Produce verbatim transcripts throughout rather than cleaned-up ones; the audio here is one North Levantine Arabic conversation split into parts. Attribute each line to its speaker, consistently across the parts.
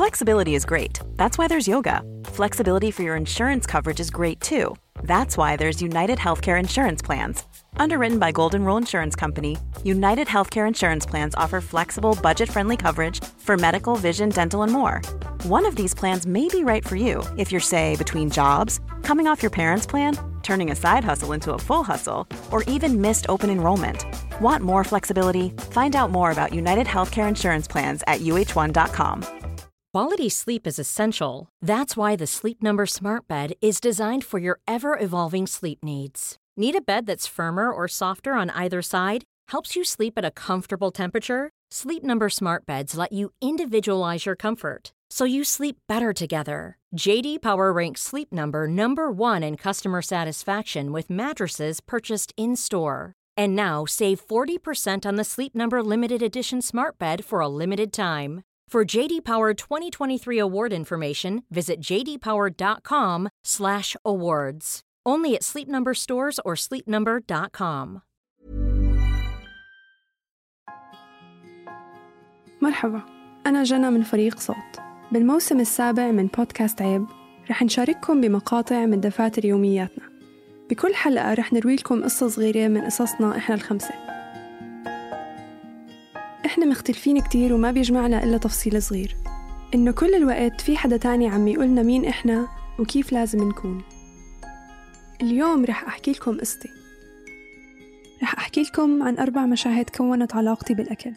Speaker 1: Flexibility is great. That's why there's yoga. Flexibility for your insurance coverage is great too. That's why there's United Healthcare Insurance Plans. Underwritten by Golden Rule Insurance Company, United Healthcare Insurance Plans offer flexible, budget-friendly coverage for medical, vision, dental, and more. One of these plans may be right for you if you're, say, between jobs, coming off your parents' plan, turning a side hustle into a full hustle, or even missed open enrollment. Want more flexibility? Find out more about United Healthcare Insurance Plans at U H one dot com.
Speaker 2: Quality sleep is essential. That's why the Sleep Number Smart Bed is designed for your ever-evolving sleep needs. Need a bed that's firmer or softer on either side? Helps you sleep at a comfortable temperature? Sleep Number Smart Beds let you individualize your comfort, so you sleep better together. J D Power ranks Sleep Number number one in customer satisfaction with mattresses purchased in-store. And now save forty percent on the Sleep Number Limited Edition Smart Bed for a limited time. For J D Power twenty twenty-three award information, visit j d power dot com slash awards. Only at Sleep Number stores or sleep number dot com.
Speaker 3: مرحبا، أنا جنى من فريق صوت. بالموسم السابع من بودكاست عيب رح نشارككم بمقاطع من دفاتر يومياتنا. بكل حلقة رح نروي لكم قصة صغيرة من قصصنا إحنا الخمسة. إحنا مختلفين كتير وما بيجمعنا إلا تفصيل صغير، إنه كل الوقت في حدا تاني عم يقولنا مين إحنا وكيف لازم نكون. اليوم رح أحكي لكم قصتي. رح أحكي لكم عن أربع مشاهد كونت علاقتي بالأكل.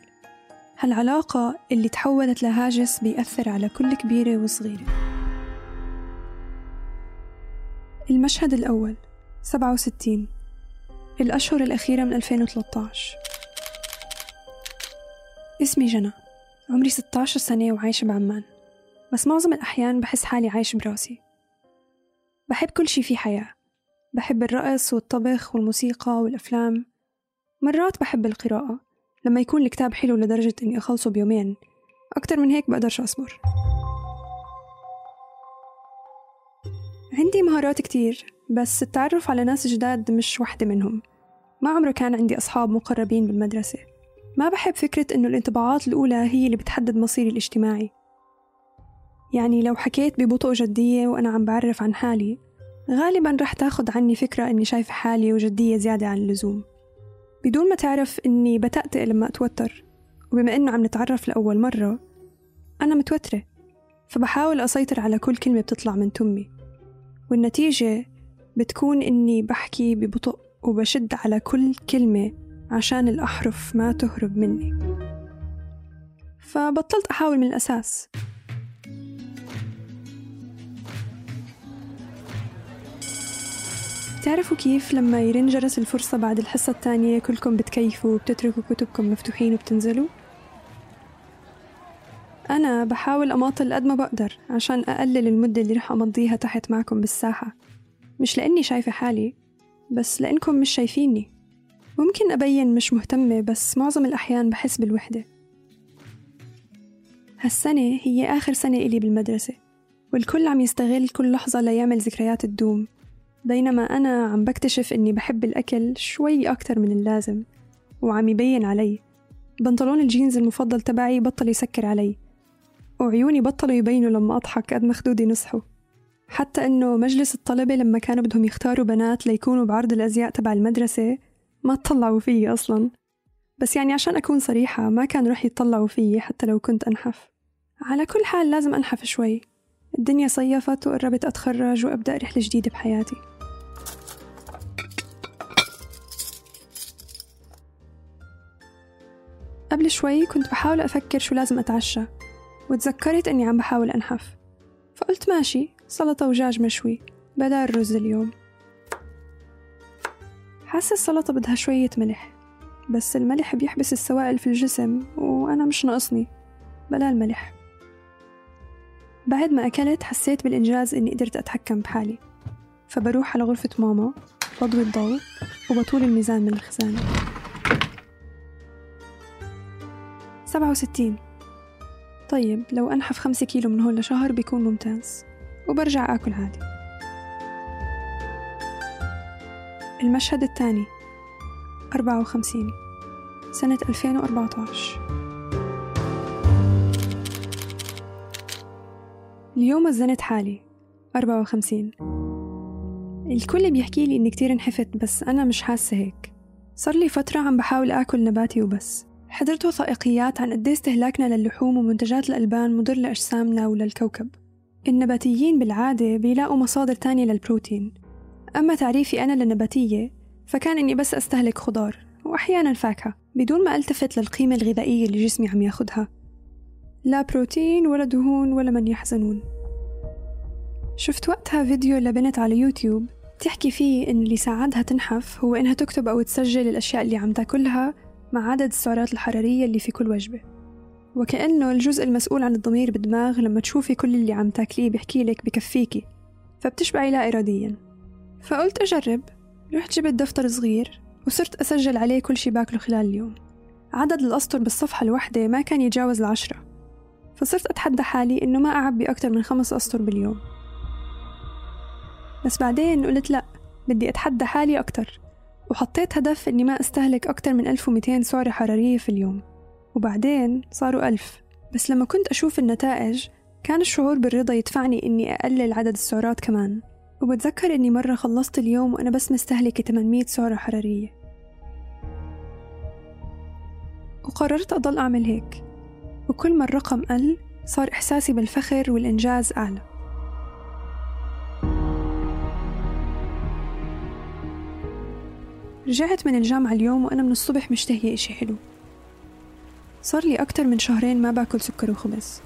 Speaker 3: هالعلاقة اللي تحولت لهاجس بيأثر على كل كبيرة وصغيرة. المشهد الأول، سبعة وستين، الأشهر الأخيرة من ألفين وثلاثة عشر. اسمي جنى، عمري ستة عشر سنة وعايشة بعمان، بس معظم الأحيان بحس حالي عايش براسي. بحب كل شي في حياة، بحب الرقص والطبخ والموسيقى والأفلام. مرات بحب القراءة لما يكون الكتاب حلو لدرجة إني أخلصه بيومين، أكتر من هيك بقدرش أصبر. عندي مهارات كتير، بس التعرف على ناس جداد مش واحدة منهم. ما عمره كان عندي أصحاب مقربين بالمدرسة. ما بحب فكرة إنه الانطباعات الأولى هي اللي بتحدد مصيري الاجتماعي. يعني لو حكيت ببطء جدية وأنا عم بعرف عن حالي، غالباً رح تاخد عني فكرة إني شايفة حالي وجدية زيادة عن اللزوم، بدون ما تعرف إني بتأتئ لما أتوتر. وبما إنه عم نتعرف لأول مرة، أنا متوترة، فبحاول أسيطر على كل كلمة بتطلع من تمي، والنتيجة بتكون إني بحكي ببطء وبشد على كل كلمة عشان الأحرف ما تهرب مني. فبطلت أحاول من الأساس. تعرفوا كيف لما يرن جرس الفرصة بعد الحصة الثانية كلكم بتكيفوا وبتتركوا كتبكم مفتوحين وبتنزلوا؟ أنا بحاول أماطل قد ما بقدر عشان أقلل المدة اللي رح أمضيها تحت معكم بالساحة، مش لأني شايفة حالي، بس لأنكم مش شايفيني. ممكن أبين مش مهتمة، بس معظم الأحيان بحس بالوحدة. هالسنة هي آخر سنة إلي بالمدرسة، والكل عم يستغل كل لحظة ليعمل ذكريات الدوم، بينما أنا عم بكتشف إني بحب الأكل شوي أكتر من اللازم، وعم يبين علي. بنطلون الجينز المفضل تبعي بطل يسكر علي، وعيوني بطلوا يبينوا لما أضحك قد ما خدودي نصحوا. حتى إنه مجلس الطلبة لما كانوا بدهم يختاروا بنات ليكونوا بعرض الأزياء تبع المدرسة ما تطلعوا فيي أصلاً. بس يعني عشان أكون صريحة، ما كان رح يتطلعوا فيي حتى لو كنت أنحف. على كل حال لازم أنحف شوي. الدنيا صيفت وقربت أتخرج وأبدأ رحلة جديدة بحياتي. قبل شوي كنت بحاول أفكر شو لازم أتعشى، وتذكرت أني عم بحاول أنحف، فقلت ماشي، سلطة ودجاج مشوي بدل الرز اليوم. حاسة السلطة بدها شوية ملح، بس الملح بيحبس السوائل في الجسم وأنا مش ناقصني، بلا الملح. بعد ما أكلت حسيت بالإنجاز إني قدرت أتحكم بحالي، فبروح على غرفة ماما، بضوي الضوء وبطول الميزان من الخزانة. سبعة وستين. طيب لو أنحف خمسة كيلو من هون لشهر بيكون ممتاز، وبرجع آكل عادي. المشهد الثاني، أربعة وخمسين، سنة ألفين وأربعة عشر. اليوم وزنت حالي أربعة وخمسين. الكل بيحكي لي إني كتير انحفت، بس أنا مش حاسة هيك. صار لي فترة عم بحاول آكل نباتي وبس. حضرت وثائقيات عن قد استهلاكنا للحوم ومنتجات الألبان مضر لأجسامنا وللكوكب. النباتيين بالعادة بيلاقوا مصادر تانية للبروتين، أما تعريفي أنا للنباتية فكان إني بس أستهلك خضار وأحياناً فاكهة بدون ما ألتفت للقيمة الغذائية اللي جسمي عم ياخدها، لا بروتين ولا دهون ولا من يحزنون. شفت وقتها فيديو لبنت على يوتيوب تحكي فيه إن اللي ساعدها تنحف هو إنها تكتب أو تسجل الأشياء اللي عم تاكلها مع عدد السعرات الحرارية اللي في كل وجبة، وكأنه الجزء المسؤول عن الضمير بالدماغ لما تشوفي كل اللي عم تاكليه بيحكي لك بكفيكي، فبتشبعي لا إرادياً. فقلت أجرب، رحت جبت دفتر صغير وصرت أسجل عليه كل شي باكله خلال اليوم. عدد الأسطر بالصفحة الواحدة ما كان يتجاوز العشرة، فصرت أتحدى حالي إنه ما أعبي أكتر من خمس أسطر باليوم. بس بعدين قلت لأ، بدي أتحدى حالي أكتر، وحطيت هدف إني ما أستهلك أكتر من ألف ومئتين سعرة حرارية في اليوم، وبعدين صاروا ألف. بس لما كنت أشوف النتائج كان الشعور بالرضا يدفعني إني أقلل عدد السعرات كمان. وبتذكر إني مرة خلصت اليوم وأنا بس مستهلكة ثمانمئة سعرة حرارية، وقررت أضل أعمل هيك. وكل ما الرقم قل صار إحساسي بالفخر والإنجاز أعلى. رجعت من الجامعة اليوم وأنا من الصبح مشتهية إشي حلو. صار لي أكتر من شهرين ما باكل سكر وخبز.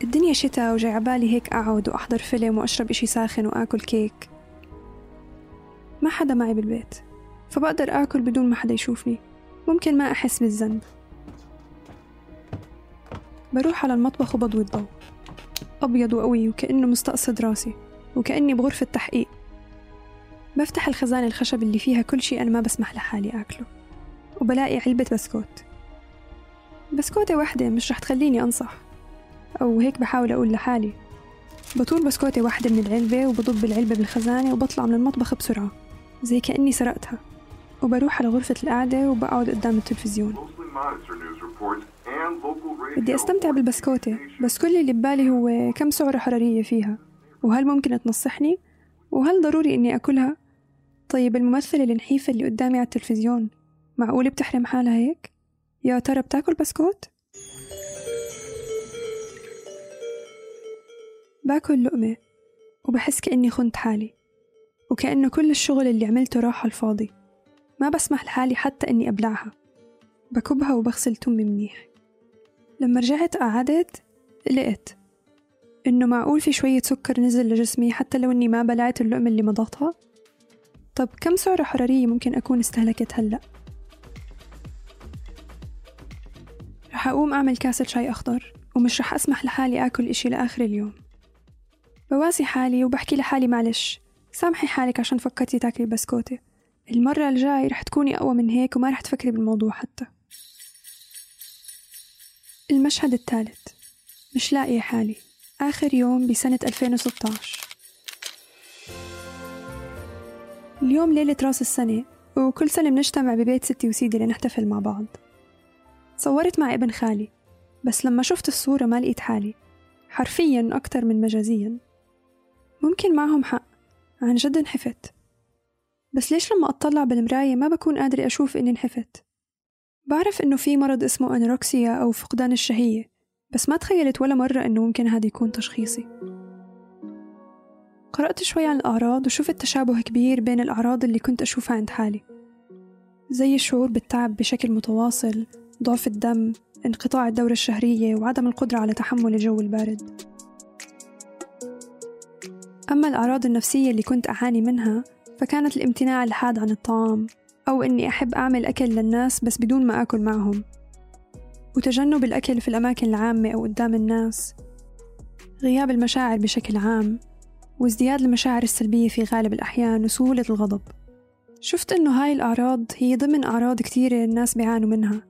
Speaker 3: الدنيا شتاء وجاي عبالي هيك أقعد وأحضر فيلم وأشرب إشي ساخن وآكل كيك. ما حدا معي بالبيت، فبقدر آكل بدون ما حدا يشوفني، ممكن ما أحس بالذنب. بروح على المطبخ وبضوي الضوء أبيض وقوي وكأنه مستقصد راسي، وكأني بغرفة تحقيق. بفتح الخزانة الخشب اللي فيها كل شيء أنا ما بسمح لحالي أكله، وبلاقي علبة بسكوت. بسكوتة واحدة مش رح تخليني أنصح، أو هيك بحاول أقول لحالي. بطول بسكوتة واحدة من العلبة وبضب العلبة بالخزانة وبطلع من المطبخ بسرعة زي كأني سرقتها، وبروح على غرفة القعدة وبقعد قدام التلفزيون. بدي أستمتع بالبسكوتة، بس كل اللي ببالي هو كم سعرة حرارية فيها، وهل ممكن تنصحني، وهل ضروري إني أكلها؟ طيب الممثلة النحيفة اللي قدامي على التلفزيون معقول بتحرم حالها هيك؟ يا ترى بتاكل بسكوت؟ باكل لقمة وبحس كأني خنت حالي، وكأنه كل الشغل اللي عملته راح على الفاضي. ما بسمح لحالي حتى إني أبلعها، بكبها وبغسل تمي منيح. لما رجعت قعدت لقيت إنه معقول في شوية سكر نزل لجسمي حتى لو إني ما بلعت اللقمة اللي مضغتها. طب كم سعرة حرارية ممكن أكون استهلكت هلأ؟ رح أقوم أعمل كاسة شاي أخضر، ومش رح أسمح لحالي أكل إشي لآخر اليوم. بواسي حالي وبحكي لحالي معلش، سامحي حالك عشان فكرتي تاكلي بسكوتة، المرة الجاي رح تكوني أقوى من هيك وما رح تفكري بالموضوع حتى. المشهد الثالث، مش لاقية حالي. آخر يوم بسنة ألفين وستة عشر. اليوم ليلة راس السنة، وكل سنة بنجتمع ببيت ستي وسيدي لنحتفل مع بعض. صورت مع ابن خالي، بس لما شفت الصورة ما لقيت حالي، حرفياً أكتر من مجازياً. ممكن معهم حق، عن جد انحفت، بس ليش لما أطلع بالمراية ما بكون قادرة أشوف إني انحفت؟ بعرف إنه في مرض اسمه أنوركسيا أو فقدان الشهية، بس ما تخيلت ولا مرة إنه ممكن هذا يكون تشخيصي. قرأت شوي عن الأعراض وشفت تشابه كبير بين الأعراض اللي كنت أشوفها عند حالي، زي الشعور بالتعب بشكل متواصل، ضعف الدم، انقطاع الدورة الشهرية، وعدم القدرة على تحمل الجو البارد. أما الأعراض النفسية اللي كنت أعاني منها فكانت الامتناع الحاد عن الطعام، أو إني أحب أعمل أكل للناس بس بدون ما أكل معهم، وتجنب الأكل في الأماكن العامة أو قدام الناس، غياب المشاعر بشكل عام، وازدياد المشاعر السلبية في غالب الأحيان، وسهولة الغضب. شفت إنه هاي الأعراض هي ضمن أعراض كتيرة الناس بيعانوا منها،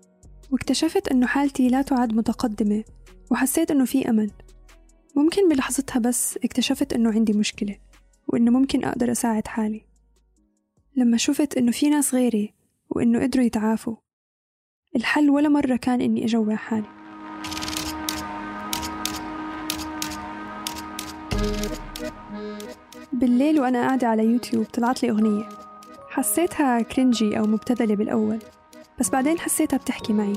Speaker 3: واكتشفت إنه حالتي لا تعد متقدمة، وحسيت إنه في أمل. ممكن بلحظتها بس اكتشفت إنه عندي مشكلة، وإنه ممكن أقدر أساعد حالي. لما شفت إنه في ناس غيري وإنه قدروا يتعافوا، الحل ولا مرة كان إني أجوع حالي. بالليل وأنا قاعدة على يوتيوب طلعت لي أغنية حسيتها كرنجي أو مبتذلة بالأول، بس بعدين حسيتها بتحكي معي.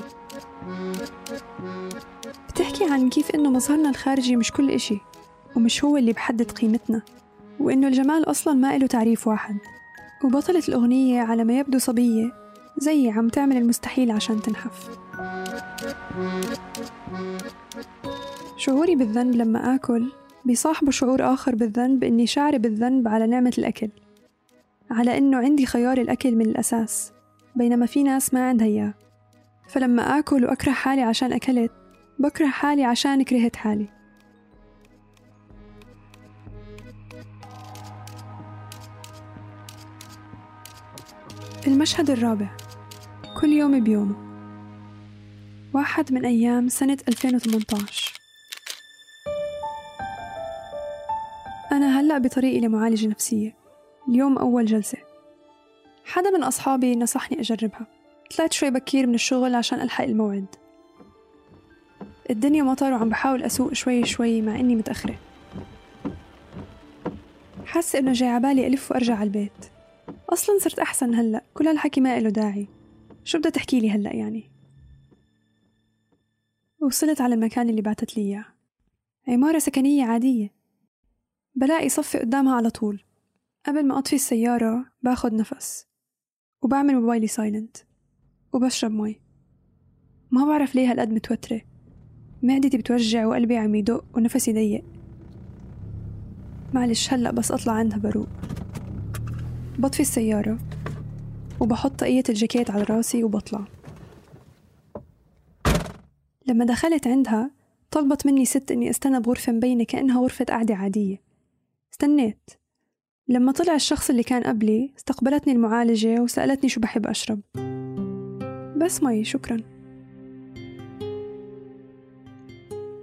Speaker 3: بتحكي عن كيف إنه مظهرنا الخارجي مش كل إشي، ومش هو اللي بحدد قيمتنا، وإنه الجمال أصلاً ما إله تعريف واحد. وبطلة الأغنية على ما يبدو صبية زي عم تعمل المستحيل عشان تنحف. شعوري بالذنب لما آكل بيصاحبه شعور آخر بالذنب، إني شاعرة بالذنب على نعمة الأكل، على إنه عندي خيار الأكل من الأساس بينما في ناس ما عندها إياه. فلما آكل وأكره حالي عشان أكلت، بكره حالي عشان كرهت حالي. المشهد الرابع، كل يوم بيومه. واحد من أيام سنة ألفين وثمانية عشر. أنا هلأ بطريقي لمعالجة نفسية. اليوم أول جلسة. حدا من أصحابي نصحني أجربها. طلعت شوي بكير من الشغل عشان ألحق الموعد. الدنيا مطر وعم بحاول أسوق شوي شوي مع إني متأخرة. حاسة إنه جاي عبالي ألف وأرجع على البيت. أصلاً صرت أحسن هلأ، كل هالحكي ما إله داعي. شو بدها تحكي لي هلأ يعني؟ وصلت على المكان اللي بعتت لي إياه. عمارة سكنية عادية. بلاقي صفي قدامها على طول. قبل ما أطفي السيارة باخد نفس وبعمل موبايلي سايلنت وبشرب مي. ما بعرف ليه هالقد متوترة، معدتي بتوجع وقلبي عم يدق ونفسي ضيق. معلش هلأ بس أطلع عندها بروق. بطفي السيارة وبحط طاقية الجاكيت على راسي وبطلع. لما دخلت عندها طلبت مني ست إني استنى بغرفة مبينة كأنها غرفة قعدة عادية. استنيت. لما طلع الشخص اللي كان قبلي استقبلتني المعالجة وسألتني شو بحب أشرب. بس مي شكرا.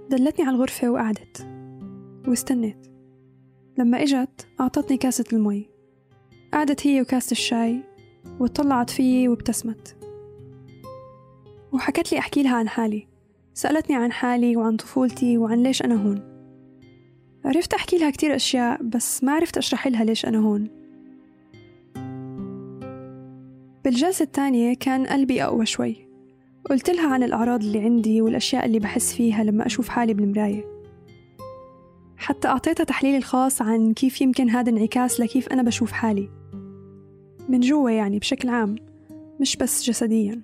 Speaker 3: دلتني على الغرفة وقعدت واستنيت. لما إجت أعطتني كاسة المي. قعدت هي وكاسة الشاي وطلعت فيي وابتسمت وحكت لي أحكي لها عن حالي. سألتني عن حالي وعن طفولتي وعن ليش أنا هون. عرفت أحكي لها كتير أشياء بس ما عرفت أشرح لها ليش أنا هون. بالجلسة الثانية كان قلبي أقوى شوي. قلت لها عن الأعراض اللي عندي والأشياء اللي بحس فيها لما أشوف حالي بالمراية. حتى أعطيتها تحليل الخاص عن كيف يمكن هذا انعكاس لكيف أنا بشوف حالي من جوا، يعني بشكل عام مش بس جسديا.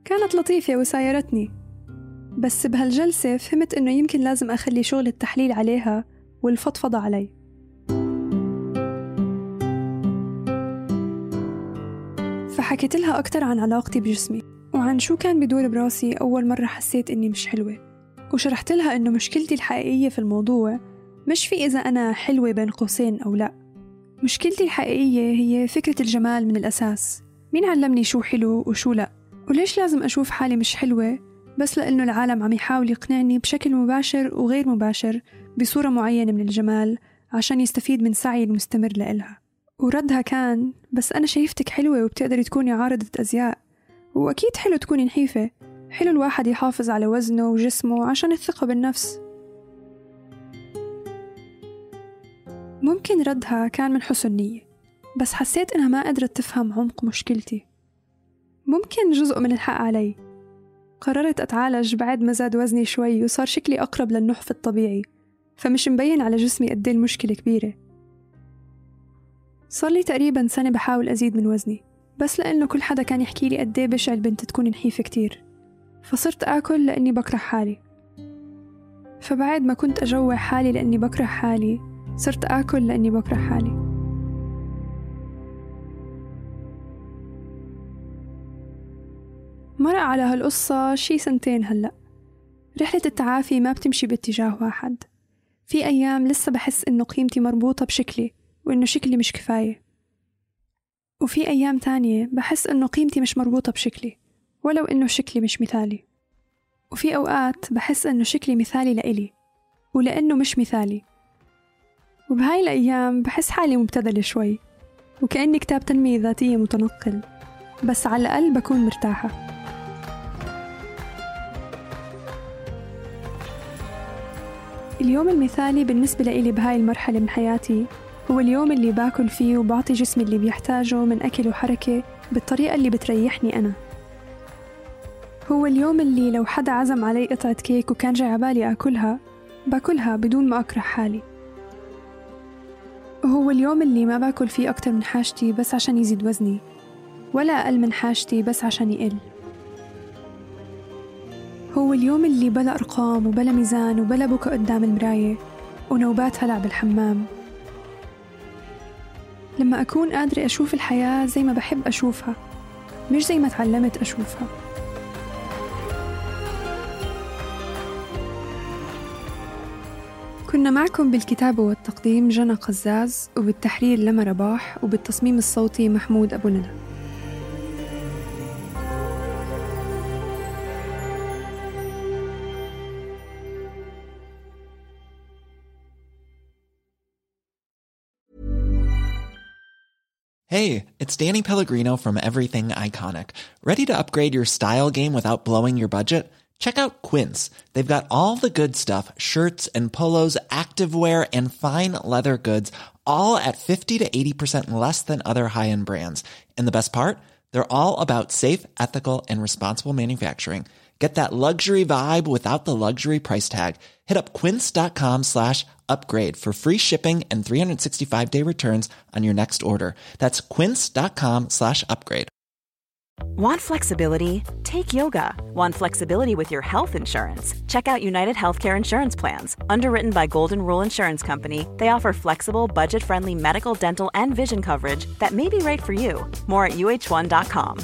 Speaker 3: كانت لطيفة وسايرتني، بس بهالجلسة فهمت إنه يمكن لازم أخلي شغل التحليل عليها والفضفضة علي. فحكيت لها أكتر عن علاقتي بجسمي وعن شو كان بدور براسي أول مرة حسيت إني مش حلوة، وشرحت لها إنه مشكلتي الحقيقية في الموضوع مش في إذا أنا حلوة بين قوسين أو لا. مشكلتي الحقيقية هي فكرة الجمال من الأساس. مين علمني شو حلو وشو لا؟ وليش لازم أشوف حالي مش حلوة بس لأنه العالم عم يحاول يقنعني بشكل مباشر وغير مباشر بصورة معينة من الجمال عشان يستفيد من سعي المستمر لإلها؟ وردها كان بس أنا شايفتك حلوة وبتقدري تكوني عارضة أزياء، وأكيد حلو تكوني نحيفة. حلو الواحد يحافظ على وزنه وجسمه عشان الثقة بالنفس. ممكن ردها كان من حسن نية، بس حسيت إنها ما قدرت تفهم عمق مشكلتي. ممكن جزء من الحق علي. قررت أتعالج بعد ما زاد وزني شوي وصار شكلي أقرب للنحف الطبيعي، فمش مبين على جسمي قد ايه المشكلة كبيرة. صار لي تقريبا سنة بحاول أزيد من وزني، بس لأنه كل حدا كان يحكي لي قد ايه بشع البنت تكون نحيفة كتير، فصرت آكل لأني بكره حالي. فبعد ما كنت أجوع حالي لأني بكره حالي، صرت آكل لأني بكره حالي. مرق على هالقصة شي سنتين هلأ. رحلة التعافي ما بتمشي باتجاه واحد. في أيام لسه بحس إنه قيمتي مربوطة بشكلي وإنه شكلي مش كفاية، وفي أيام تانية بحس إنه قيمتي مش مربوطة بشكلي ولو إنه شكلي مش مثالي، وفي أوقات بحس إنه شكلي مثالي لإلي ولأنه مش مثالي. وبهاي الأيام بحس حالي مبتذلة شوي وكأني كتاب تنمية ذاتية متنقل، بس على الأقل بكون مرتاحة. اليوم المثالي بالنسبة لإلي بهاي المرحلة من حياتي هو اليوم اللي باكل فيه وبعطي جسمي اللي بيحتاجه من أكل وحركة بالطريقة اللي بتريحني أنا. هو اليوم اللي لو حدا عزم علي قطعة كيك وكان جاي عبالي أكلها باكلها بدون ما أكره حالي. هو اليوم اللي ما باكل فيه أكتر من حاجتي بس عشان يزيد وزني، ولا أقل من حاجتي بس عشان يقل. هو اليوم اللي بلا أرقام وبلا ميزان وبلا بكى قدام المراية ونوبات هلع بالحمام، لما أكون قادرة أشوف الحياة زي ما بحب أشوفها مش زي ما تعلمت أشوفها. كنا معكم بالكتابة والتقديم جنى قزاز، وبالتحرير لما رباح، وبالتصميم الصوتي محمود أبو ندى.
Speaker 4: Hey, it's Danny Pellegrino from Everything Iconic. Ready to upgrade your style game without blowing your budget? Check out Quince. They've got all the good stuff, shirts and polos, activewear, and fine leather goods, all at fifty to eighty percent less than other high-end brands. And the best part? They're all about safe, ethical, and responsible manufacturing. Get that luxury vibe without the luxury price tag. Hit up quince.com slash upgrade for free shipping and three sixty-five day returns on your next order. That's quince.com slash upgrade.
Speaker 1: Want flexibility? Take yoga. Want flexibility with your health insurance? Check out United Healthcare Insurance Plans. Underwritten by Golden Rule Insurance Company, they offer flexible, budget-friendly medical, dental, and vision coverage that may be right for you. More at U H one dot com.